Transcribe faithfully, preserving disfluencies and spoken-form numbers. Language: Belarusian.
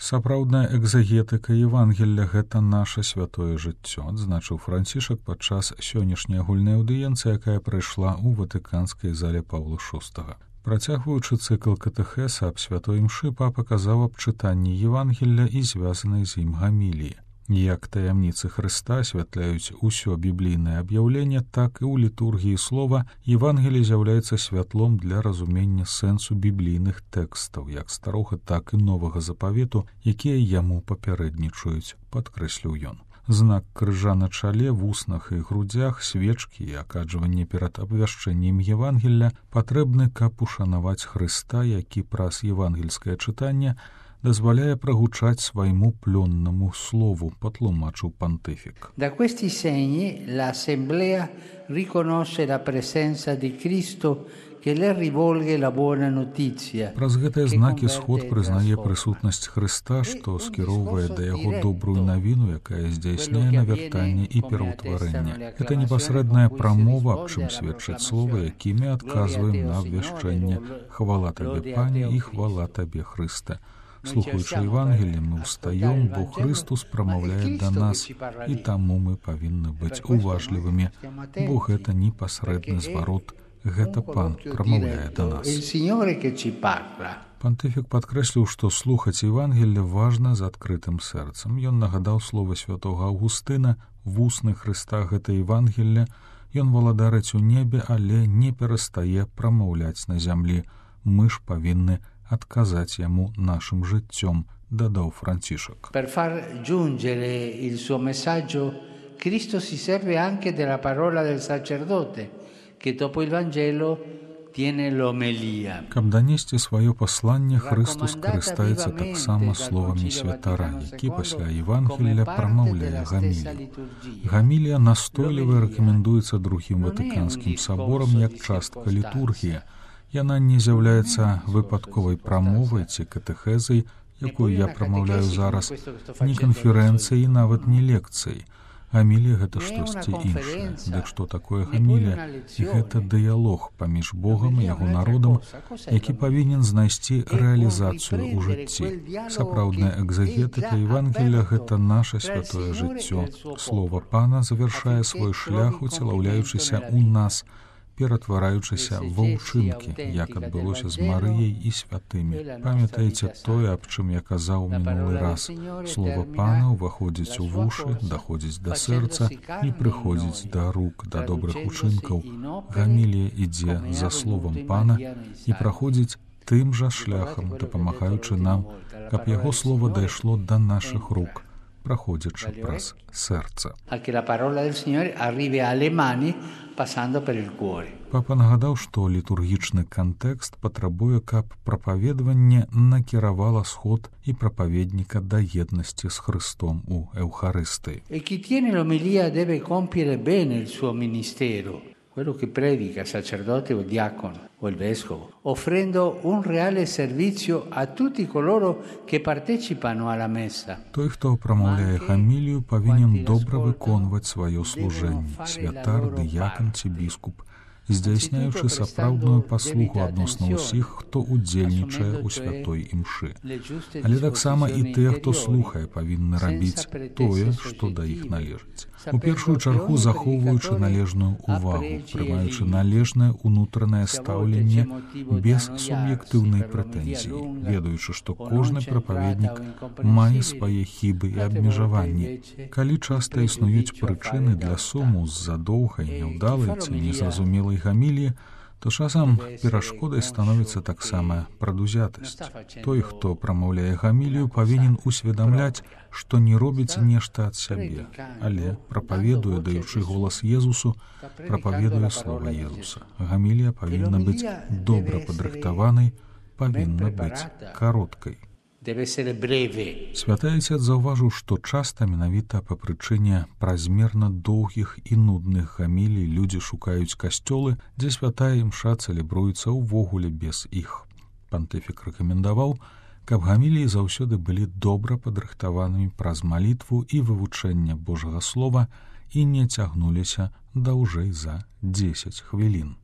Сапраўдная экзагетыка Евангелля — гэта наша святое жыццё, адзначыў Францішак падчас сённяшняй агульнай аўдыенцыі, якая прайшла ў ватыканскай зале Паўла шостага. Працягваючы цыкл катэхеса аб святой імшы, папа казаў аб чытанні Евангелля і звязанай з ім гаміліі. Як таямніцы Хрыста асвятляюць усё біблійнае аб'яўленне, так і ў літургіі слова Евангелие з'яўляецца святлом для разумення сэнсу біблійных тэкстаў, як старога, так і новага запавету, якія яму папярэднічаюць, падкрэсліў ён. Знак крыжа на чале, вуснах і грудзях, свечкі і акаджванне перад абвяшчэннем Евангелля патрэбны, каб ушанаваць Хрыста, які праз евангельскае чытанне дазваляе прагучаць свайму плённаму слову, патлумачыў пантыфік. Da questi segni l'Assemblea riconosce la presenza di Cristo che le rivolge la buona notizia. Праз гэтыя знакі сход прызнае прысутнасць Хрыста, што скіроўвае да яго добрую навіну, якая здзяйсняе навяртанне і пераўтварэнне. Гэта непасрэдная прамова, аб чым сведчаць словы, якімі адказваем на абвяшчэнне. Хвала табе, Пане, і хвала табе, Хрысте. Слухаючы Евангелие, мы ўстаём, бо Христус прамаўляе да нас, і таму мы павінны быць уважлівымі, бо гэта непасрэдны зварот, гэта Пан прамаўляе да нас. Пантыфік падкрэсліў, што слухаць Евангелие важна з адкрытым сэрцам. Ён нагадаў словы святога Аўгустына: «Вусны Хрыста — гэта Евангелие, ён валадарыць у небе, але не перастае прамаўляць на зямлі. Мы ж павінны адказаць яму нашым жыццём», дадаў Францішак. Per far giungere il suo messaggio, Cristo si serve anche della parola del sacerdote, che dopo il Vangelo tiene l'omelia. Каб данесці сваё пасланне, Христус карыстаецца таксама словамі святара, які пасля Евангелля прамаўляе гамілію. Гамілія настойліва рэкамендуецца другім ватыканскім саборам як частка літургіі. Яна не з'яўляецца выпадковай прамовай ці катэхезай, якую я прамаўляю зараз, ні канферэнцыяй, нават не лекцыяй. Гамілія — гэта штосьці іншае. Дык што такое гамілія? Гэта дыялог паміж Богам і яго народам, які павінен знайсці рэалізацыю ў жыцці. Сапраўдная экзагетыка Евангелля — гэта наша святое жыццё. Слова Пана завяршае свой шлях, уцелаўляючыся ў нас, ператвараючыся ва ўчынкі, як адбылося з Марыяй і святымі. Памятаеце тое, аб чым я казаў мінулы раз. Слова Пана ўваходзіць у вушы, даходзіць да сэрца і прыходзіць да рук, да добрых учынкаў. Гамілія ідзе за словам Пана і праходзіць тым жа шляхам, дапамагаючы нам, каб яго слова дайшло да нашых рук, праходзячы праз сэрца. Папа нагадаў, што літургічны кантэкст патрабуе, каб прапаведванне накіравала сход і прапаведніка да еднасці з Христом у Еўхарыстыі. E chi tiene l'omelia deve compiere bene il suo ministero, quello che predica, il sacerdote o il diacono o il vescovo, offrendo un reale servizio a tutti coloro che partecipano alla messa. Той, хто прамаўляе гамілію, павінен добра выконваць сваё служэнне, святар, дыякан ці біскуп, здзяйсняючы сапраўдную паслугу адносна ўсіх, хто удзельнічае ў святой імшы. Але таксама і тыя, хто слухае, павінны рабіць тое, што да іх належыць. У першую чаргу захоўваючы належную ўвагу, прымаючы належнае ўнутранае стаўленне без суб'ектыўнай прэтэнзіі, ведаючы, што кожны прапаведнік мае свае хібы і абмежаванні. Калі часта існуюць прычыны для суму з-за доўгай, няўдалай ці незразумелай гаміліі, то часам перашкодай становіцца таксама прадузятасць. Той, хто прамаўляе гамілію, павінен усведамляць, што не робіць нешта ад сябе, але прапаведуе, даючы голас Езусу, прапаведуе слова Езуса. Гамілія павінна быць добра падрыхтаванай, павінна быць кароткай. Святы Айцец заўважыў, што часта менавіта па прычыне празмерна доўгіх і нудных гамілій людзі шукаюць касцёлы, дзе святая імша цэлебруецца ўвогуле без іх. Пантыфік рэкамендаваў, каб гаміліі заўсёды былі добра падрыхтаванымі праз малітву і вывучэнне Божага слова і не цягнуліся даўжэй за дзесяць хвілін.